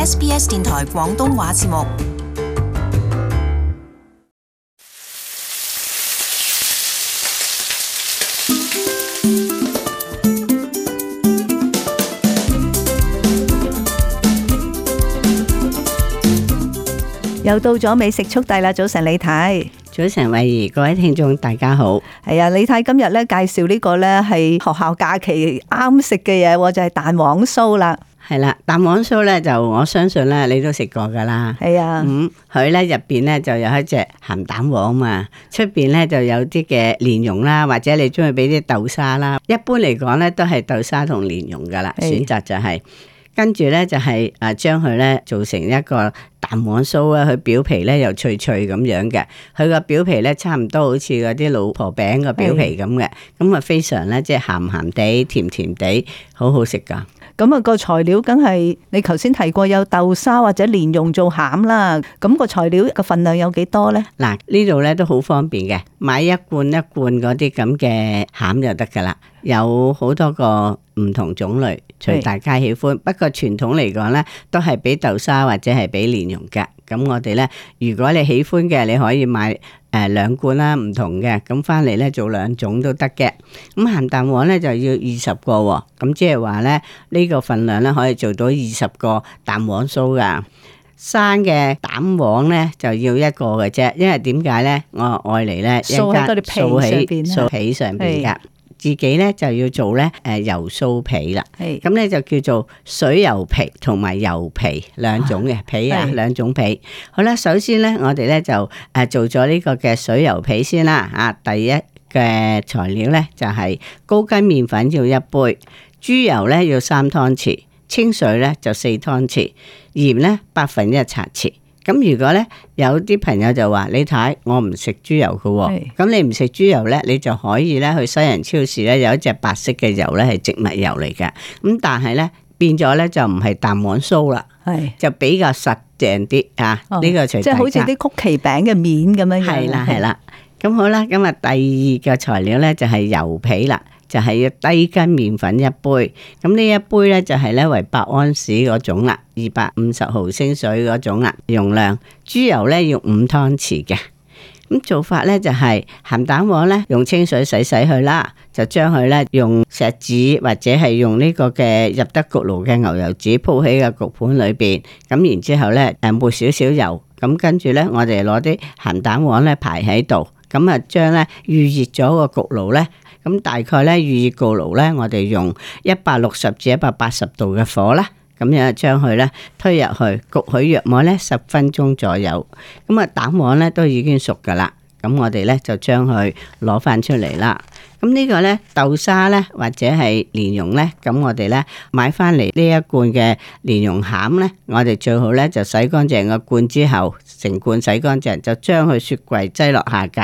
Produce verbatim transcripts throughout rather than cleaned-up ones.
S B S 電台廣東話節目。又到咗美食速遞啦！早晨李太，早晨慧怡，各位聽眾大家好。係啊，李太今日咧介紹呢個咧係學校假期啱食嘅嘢，就係蛋黃酥啦。係啦，蛋黃酥咧就我相信咧你都食過噶啦。係啊，咁佢咧入邊咧就有一隻鹹蛋黃嘛，出邊咧就有啲嘅蓮蓉啦，或者你中意俾啲豆沙啦。一般嚟講咧都係豆沙同蓮蓉噶啦，選擇就係、是。跟住咧就係誒將佢咧做成一個蛋黃酥啊，佢表皮咧又脆脆咁樣嘅，佢個表皮咧差唔多好似嗰啲老婆餅個表皮咁嘅，咁啊非常咧即係鹹鹹地、甜甜地，好好食噶。咁啊個材料梗係你頭先提過有豆沙或者蓮蓉做餡啦，咁個材料個份量有幾多咧？嗱，呢度咧都好方便嘅，買一罐一罐嗰啲咁嘅餡就得噶啦，有好多個唔同種類，隨大家喜歡。不過傳統嚟講咧，都係俾豆沙或者係俾蓮蓉嘅。咁我哋咧，如果你喜歡嘅，你可以買誒兩罐啦，唔同嘅，咁翻嚟咧做兩種都得嘅。咁鹹蛋黃咧就要二十個喎，咁即係話咧呢個份量咧可以做到二十個蛋黃酥噶。生嘅蛋黃咧就要一個嘅啫，因為點解咧？我愛嚟咧一掃喺嗰啲皮上邊，掃起上邊噶。自己咧就要做咧誒油酥皮啦，咁咧就叫做水油皮同埋油皮兩種嘅皮啊，兩種皮。好啦，首先咧我哋咧就誒做咗呢個嘅水油皮先啦。啊，第一嘅材料咧就係高筋麵粉要一杯，豬油咧要三湯匙，清水咧就四湯匙，鹽咧百分一茶匙。咁如果咧有啲朋友就話你睇我唔食豬油嘅喎，咁你唔食豬油咧，你就可以咧去西人超市咧有一隻白色嘅油咧係植物油嚟嘅，咁但係咧變咗咧就唔係蛋黃酥啦，就比較實淨啲啊！呢、哦、個隨即係好似啲曲奇餅嘅面咁樣。係啦係啦，咁好啦，咁啊第二個材料咧就係油皮啦。就係要低筋麵粉一杯，咁呢一杯咧就係咧為百安士嗰種啦，二百五十毫升水嗰種啦，容量。豬油咧要五湯匙嘅，咁做法咧就係鹹蛋黃咧用清水洗洗去啦，就將佢咧用錫紙或者係用呢個嘅入得焗爐嘅牛油紙鋪喺個焗盤裏邊，咁然之後咧誒抹少少油，咁跟住咧我哋攞啲鹹蛋黃咧排喺度，咁啊將咧預熱咗個焗爐咧。咁大概咧預熱焗爐咧，我哋用一百六十至一百八十度嘅火啦，咁樣將佢咧推入去焗佢約莫咧十分鐘左右。咁啊蛋黃咧都已經熟噶啦，咁我哋咧就將佢攞翻出嚟啦。咁呢個咧豆沙咧或者係蓮蓉咧，咁我哋咧買翻嚟呢一罐嘅蓮蓉餡咧，我哋最好咧就洗乾淨個罐之後，成罐洗乾淨就將佢雪櫃擠落下格，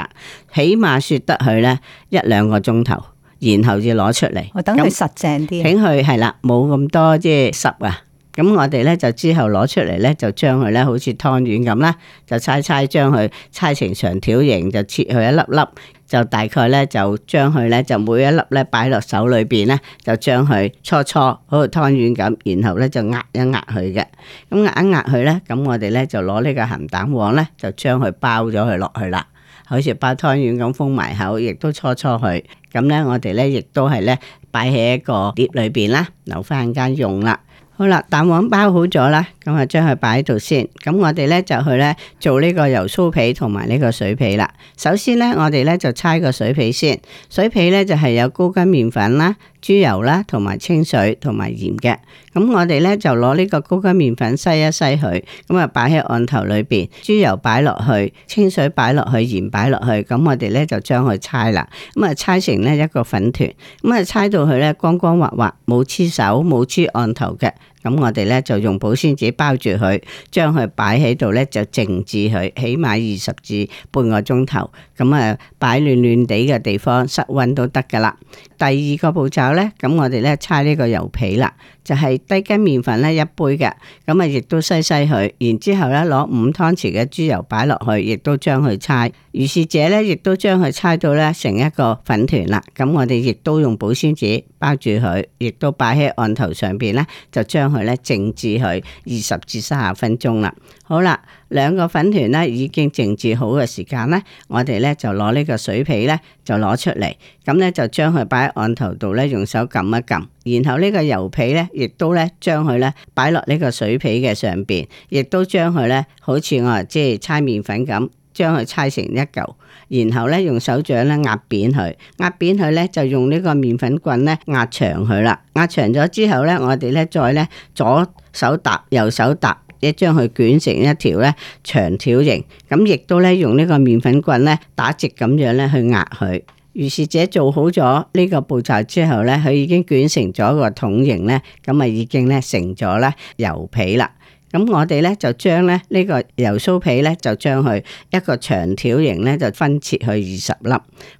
起碼雪得佢咧一兩個鐘頭，然後至攞出嚟。我等佢實淨啲，等佢係啦，冇咁多即係濕啊。咁我哋咧就之後攞出嚟咧，就將佢咧好似湯圓咁啦，就猜猜將佢猜成長條形，就切佢一粒粒。就大概咧就將佢咧就每一粒咧擺落手裏邊咧，就將佢搓搓好似湯圓咁，然後咧就壓一壓佢嘅。咁壓一壓佢咧，咁我哋咧就攞呢個鹹蛋黃咧，就將佢包咗佢落去啦，好似包湯圓咁封埋口，亦都搓搓佢。咁咧我哋咧亦都係咧擺喺一個碟裏邊啦，留翻間用啦。好啦，蛋黃包好咗啦，咁啊將佢擺喺度先。咁我哋咧就去咧做呢個油酥皮同埋呢個水皮啦。首先咧，我哋咧就搓個水皮先。水皮咧就係有高筋麵粉啦、豬油啦，同埋清水同埋鹽嘅。咁我哋咧就攞呢個高筋麵粉篩一篩佢，咁啊擺喺案頭裏邊，豬油擺落去，清水擺落去，鹽擺落去。咁我哋咧就將佢搓啦，咁啊搓成咧一個粉團，咁啊搓到佢咧光光滑滑，冇黐手冇黐案頭嘅。咁我哋咧就用保鮮紙包住佢，將佢擺喺度咧就靜置佢，起碼二十至半個鐘頭。咁啊擺暖暖地嘅地方，室溫都得噶啦。第二個步驟咧，咁我哋咧搓呢個油皮啦，就係低筋麵粉咧一杯嘅，咁啊亦都篩篩佢，然之後咧攞五湯匙嘅豬油擺落去，亦都將佢搓。如是者咧，亦都將佢搓到咧成一個粉團啦。咁我哋亦都用保鮮紙包住佢，亦都擺喺案頭上邊咧，就將佢咧靜置佢二十至三十分鐘啦。好啦，兩個粉團咧已經靜置好嘅時間咧，我哋咧就攞呢個水皮咧就攞出嚟，咁咧就將佢擺喺案頭度咧，用手撳一撳，然後呢個油皮咧亦都咧將佢咧擺落呢個水皮嘅上邊，亦都將佢咧好似我即係搓麵粉咁，將佢搓成一嚿，然後咧用手掌咧壓扁佢，壓扁佢咧就用呢個麵粉棍咧壓長佢啦。壓長咗之後咧，我哋咧再咧左手搭右手搭，一將佢捲成一條咧長條形，咁亦都咧用呢個麵粉棍咧打直咁樣咧去壓佢。如是者做好咗呢個步驟之後咧，佢已經捲成咗個筒形咧，咁啊已經咧成咗咧油皮啦。咁我哋咧就將咧呢個油酥皮咧就將佢一個長條形咧就分切去二十粒，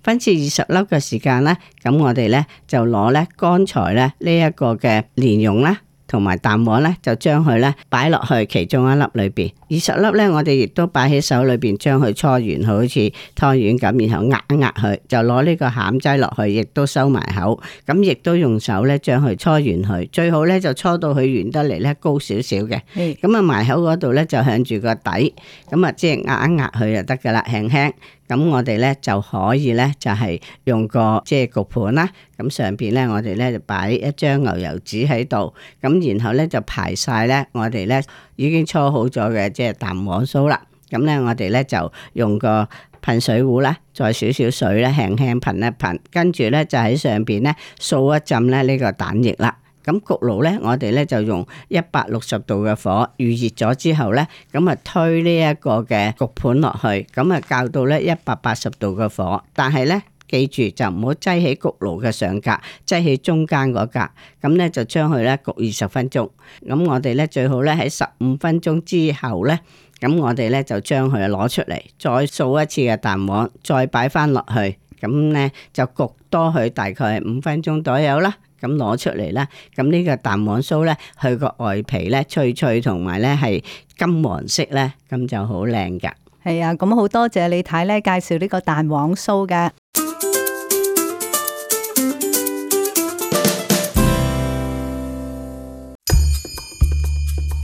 分切二十粒嘅時間咧，咁我哋咧就攞咧剛才咧呢一個嘅蓮蓉啦，同埋蛋黃咧，就將佢咧擺落去其中一粒裏邊。二十粒咧，我哋亦都擺喺手裏邊，將佢搓完，好似湯圓咁，然後壓一壓佢，就攞呢個餡擠落去，亦都收埋口。咁亦都用手咧將佢搓圓佢，最好咧就搓到佢圓得嚟咧高少少嘅。咁啊埋口嗰度咧就向住個底，咁啊即係壓一壓佢就得噶啦，輕輕。咁我哋咧就可以咧就係用個即係焗盤啦，咁上邊咧我哋咧就擺一張牛油紙喺度，咁然後咧就排晒咧我哋咧已經搓好咗嘅即係蛋黃酥啦。咁咧我哋咧就用個噴水壺啦，再少少水咧輕輕噴一噴，跟住咧就喺上邊咧掃一浸咧呢個蛋液啦。咁焗爐咧，我哋咧就用一百六十度嘅火預熱咗之後咧，咁啊推呢一個嘅焗盤落去，咁啊較到咧一百八十度嘅火，但係咧記住就唔好擠喺焗爐嘅上格，擠喺中間嗰格，咁咧就將佢咧焗二十分鐘。咁我哋咧最好咧喺十五分鐘之後咧，咁我哋咧就將佢攞出嚟，再掃一次嘅蛋黃，再擺翻落去，咁咧就焗多佢大概係五分鐘左右啦。咁攞出嚟啦，咁呢個蛋黃酥咧，佢個外皮咧脆脆，同埋咧係金黃色咧，咁就好靚噶。係啊，咁好多謝李太咧介紹呢個蛋黃酥嘅。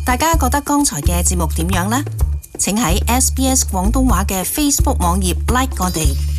大家覺得剛才嘅節目點樣呢？請喺 S B S 廣東話嘅 Facebook 網頁 like 我哋。